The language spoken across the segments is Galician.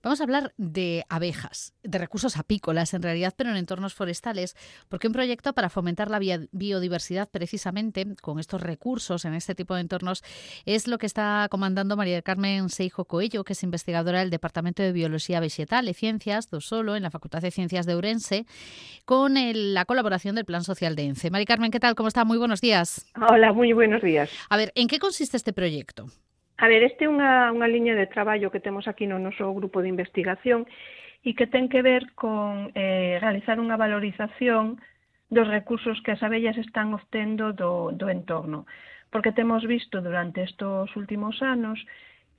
Vamos a hablar de abejas, de recursos apícolas en realidad, pero en entornos forestales, porque un proyecto para fomentar la biodiversidad precisamente con estos recursos en este tipo de entornos es lo que está comandando María del Carmen Seijo Coello, que es investigadora del Departamento de Biología Vegetal e Ciencias do Solo en la Facultad de Ciencias de Ourense, con la colaboración del Plan Social de ENCE. María Carmen, ¿qué tal? ¿Cómo está? Muy buenos días. Hola, moi buenos días. A ver, ¿en qué consiste este proyecto? A ver, este é unha liña de traballo que temos aquí no noso grupo de investigación e que ten que ver con realizar unha valorización dos recursos que as abellas están obtendo do entorno. Porque temos visto durante estes últimos anos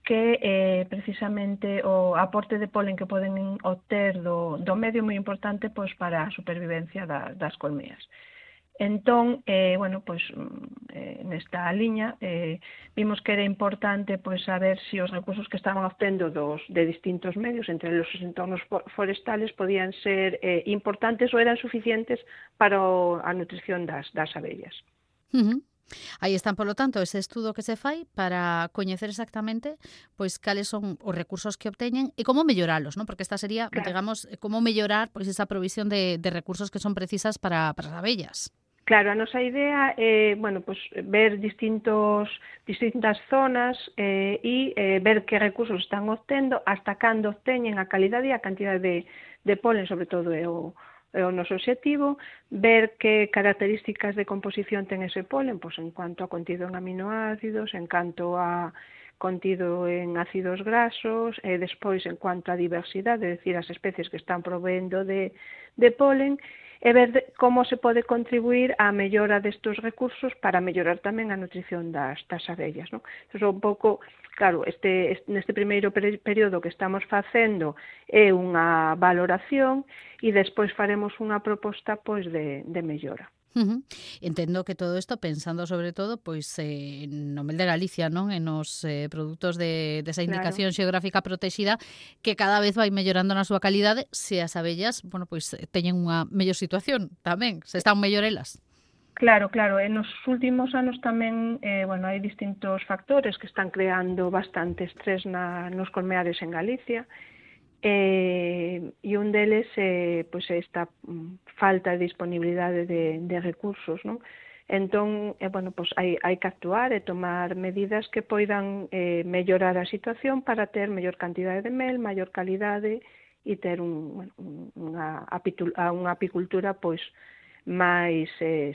que precisamente o aporte de polen que poden obter do medio é moi importante pois, para a supervivencia das colmeas. Entón, nesta liña vimos que era importante pois saber se os recursos que estaban obtendo de distintos medios, entre os entornos forestales, podían ser importantes ou eran suficientes para a nutrición das abellas. Aí están, polo tanto, ese estudo que se fai para coñecer exactamente pois cales son os recursos que obteñen e como melloralos, non? Porque esta sería, claro, digamos, como mellorar pois esa provisión de recursos que son precisas para as abellas. Claro, a nosa idea é, ver distintas zonas e ver que recursos están obtendo, hasta cando obteñen a calidade e a cantidade de polen, sobre todo é o noso obxectivo, ver que características de composición ten ese polen, pois en cuanto a contido en aminoácidos, en canto a contido en ácidos grasos, e despois en cuanto a diversidade, é dicir, as especies que están proveendo de polen, e ver como se pode contribuir á mellora destes recursos para mellorar tamén a nutrición das abellas, non? Entón, un pouco, claro, neste primeiro período que estamos facendo é unha valoración e despois faremos unha proposta pois de mellora. Entendo que todo isto pensando sobre todo pois no Mel de Galicia, non? En os produtos desa indicación xeográfica protexida que cada vez vai mellorando na súa calidade se as abellas, pois teñen unha mellor situación tamén, se están mellor elas. Claro, e nos últimos anos tamén hai distintos factores que están creando bastante estrés nos colmeares en Galicia. E un deles é esta falta de disponibilidade de recursos, non? Entón, hai que actuar e tomar medidas que poidan mellorar a situación para ter mellor cantidade de mel, maior calidade e ter unha apicultura pois máis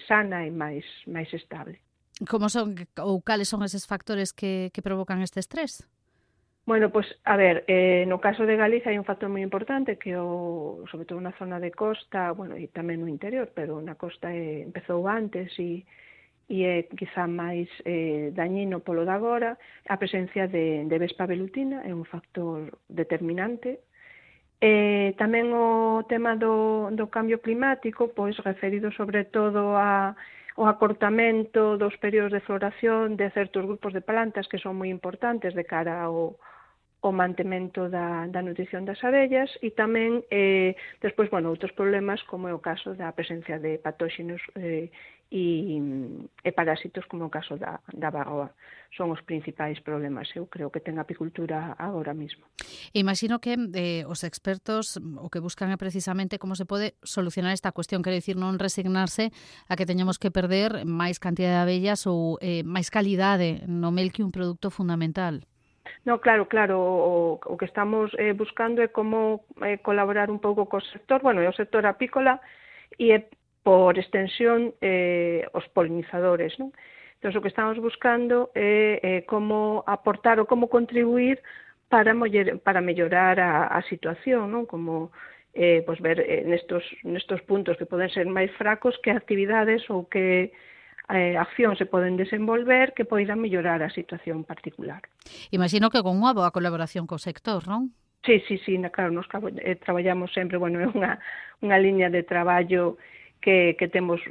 sana e máis estable. Como son ou cales son eses factores que provocan este estrés? Bueno, no caso de Galicia hai un factor moi importante que sobre todo na zona de costa, e tamén no interior, pero na costa empezou antes e é quizá máis dañino polo de agora, a presencia de vespa velutina é un factor determinante. Tamén o tema do cambio climático, pois referido sobre todo ao acortamento dos períodos de floración de certos grupos de plantas que son moi importantes de cara ao mantemento da nutrición das abellas e tamén despois, outros problemas como é o caso da presencia de patóxenos e parásitos como o caso da varroa. Son os principais problemas, eu creo que ten a apicultura agora mesmo. Imagino que os expertos o que buscan é precisamente como se pode solucionar esta cuestión, quero dicir, non resignarse a que teñamos que perder máis cantidade de abellas ou máis calidade no mel que un produto fundamental. No, claro, o que estamos buscando é como colaborar un pouco co sector, é o sector apícola e por extensión os polinizadores, non? Entón, o que estamos buscando é como aportar ou como contribuir para mellorar a situación, non? Como ver nestos puntos que poden ser máis fracos que actividades ou que accións se poden desenvolver que poidan mellorar a situación particular. Imagino que con unha boa colaboración co sector, non? Sí, claro, nos traballamos sempre, é unha liña de traballo que temos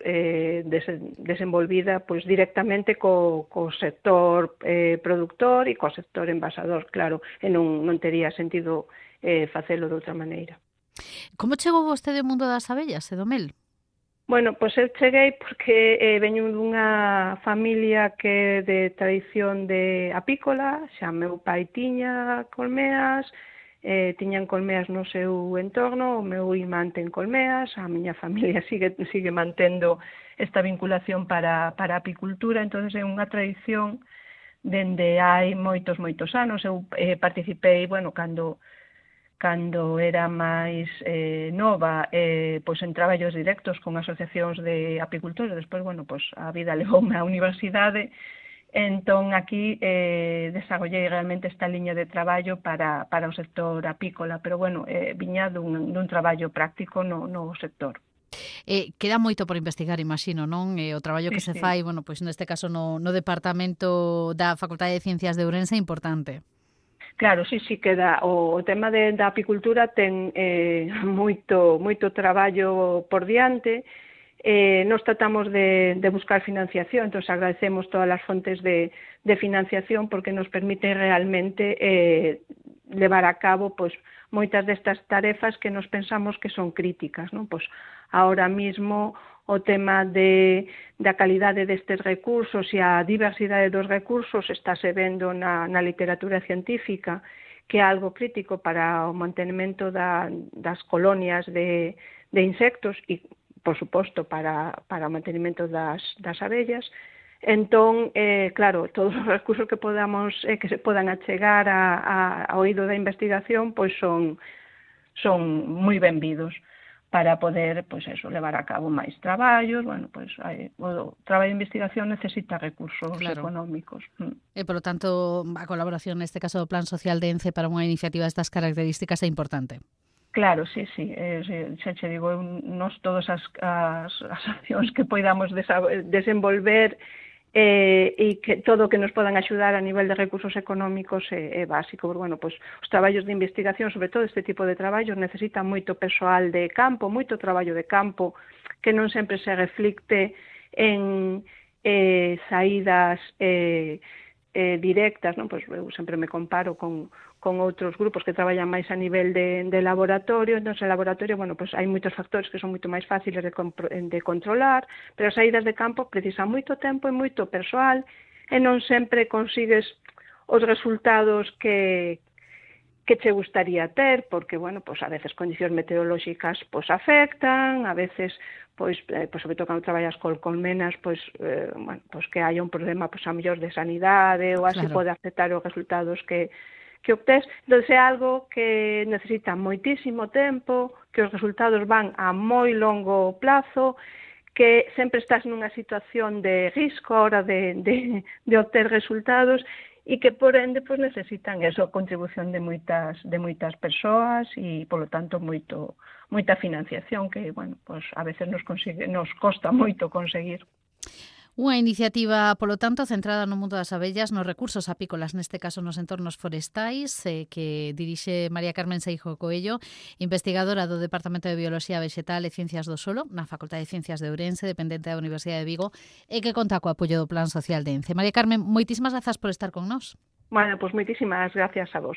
desenvolvida pois directamente co sector productor e co sector envasador, claro, e non tería sentido facelo de outra maneira. Como chegou vostede ao mundo das abellas e do mel? Bueno, pois eu cheguei porque veño dunha familia que é de tradición de apícola, xa meu pai tiña colmeas, tiñan colmeas no seu entorno, o meu irmán ten colmeas, a miña familia sigue mantendo esta vinculación para a apicultura, entonces é unha tradición dende hai moitos anos. Eu participei, cando era máis nova, pois en traballos directos con asociacións de apicultores. Despois, pois a vida levoume á universidade, entón aquí desagollei realmente esta liña de traballo para o sector apícola, pero viña dun traballo práctico no sector. Queda moito por investigar, imagino, non? O traballo que se fai, pois neste caso no Departamento da Facultade de Ciencias de Ourense é importante. Claro, sí, queda. O tema da apicultura ten moito traballo por diante. Nos tratamos de buscar financiación, entón agradecemos todas as fontes de financiación porque nos permite realmente levar a cabo pois moitas destas tarefas que nos pensamos que son críticas, non? Pois ahora mismo o tema da calidade destes recursos e a diversidade dos recursos estáse vendo na literatura científica que é algo crítico para o mantenimento das colonias de insectos e, por suposto, para o mantenimento das abellas. Entón, claro, todos os recursos que se podan achegar ao oído da investigación pois son moi benvidos para poder, pois levar a cabo máis traballos. O traballo de investigación necesita recursos económicos. E, polo tanto, a colaboración neste caso do Plan Social de ENCE para unha iniciativa destas características é importante. Claro, sí. Xa che digo, nos todas as accións que poidamos desenvolver e que todo o que nos podan axudar a nivel de recursos económicos é básico. Pois os traballos de investigación, sobre todo este tipo de traballos, necesitan moito persoal de campo, moito traballo de campo, que non sempre se reflicte en saídas directas, non? Pois eu sempre me comparo con outros grupos que traballan máis a nivel de laboratorio. Entón, en laboratorio, pois hai moitos factores que son moito máis fáciles de controlar, pero as saídas de campo precisan moito tempo e moito persoal e non sempre consigues os resultados que che gustaría ter, porque, pois a veces condicións meteorolóxicas pois afectan, a veces pois sobre todo cando traballas con colmenas, pois que haya un problema pois a mellor de sanidade ou así pode afectar os resultados que obtés. Entón, é algo que necesita moitísimo tempo, que os resultados van a moi longo plazo, que sempre estás nunha situación de risco a hora de obter resultados e que, por ende, pois necesitan a contribución de moitas persoas e, polo tanto, moita financiación que, pois a veces nos costa moito conseguir. Unha iniciativa, polo tanto, centrada no mundo das abellas, nos recursos apícolas, neste caso nos entornos forestais, que dirixe María Carmen Seijo Coello, investigadora do Departamento de Bioloxía Vexetal e Ciencias do Solo, na Facultade de Ciencias de Ourense, dependente da Universidade de Vigo, e que conta co apoio do Plan Social de ENCE. María Carmen, moitísimas grazas por estar con nós. Pois moitísimas gracias a vos.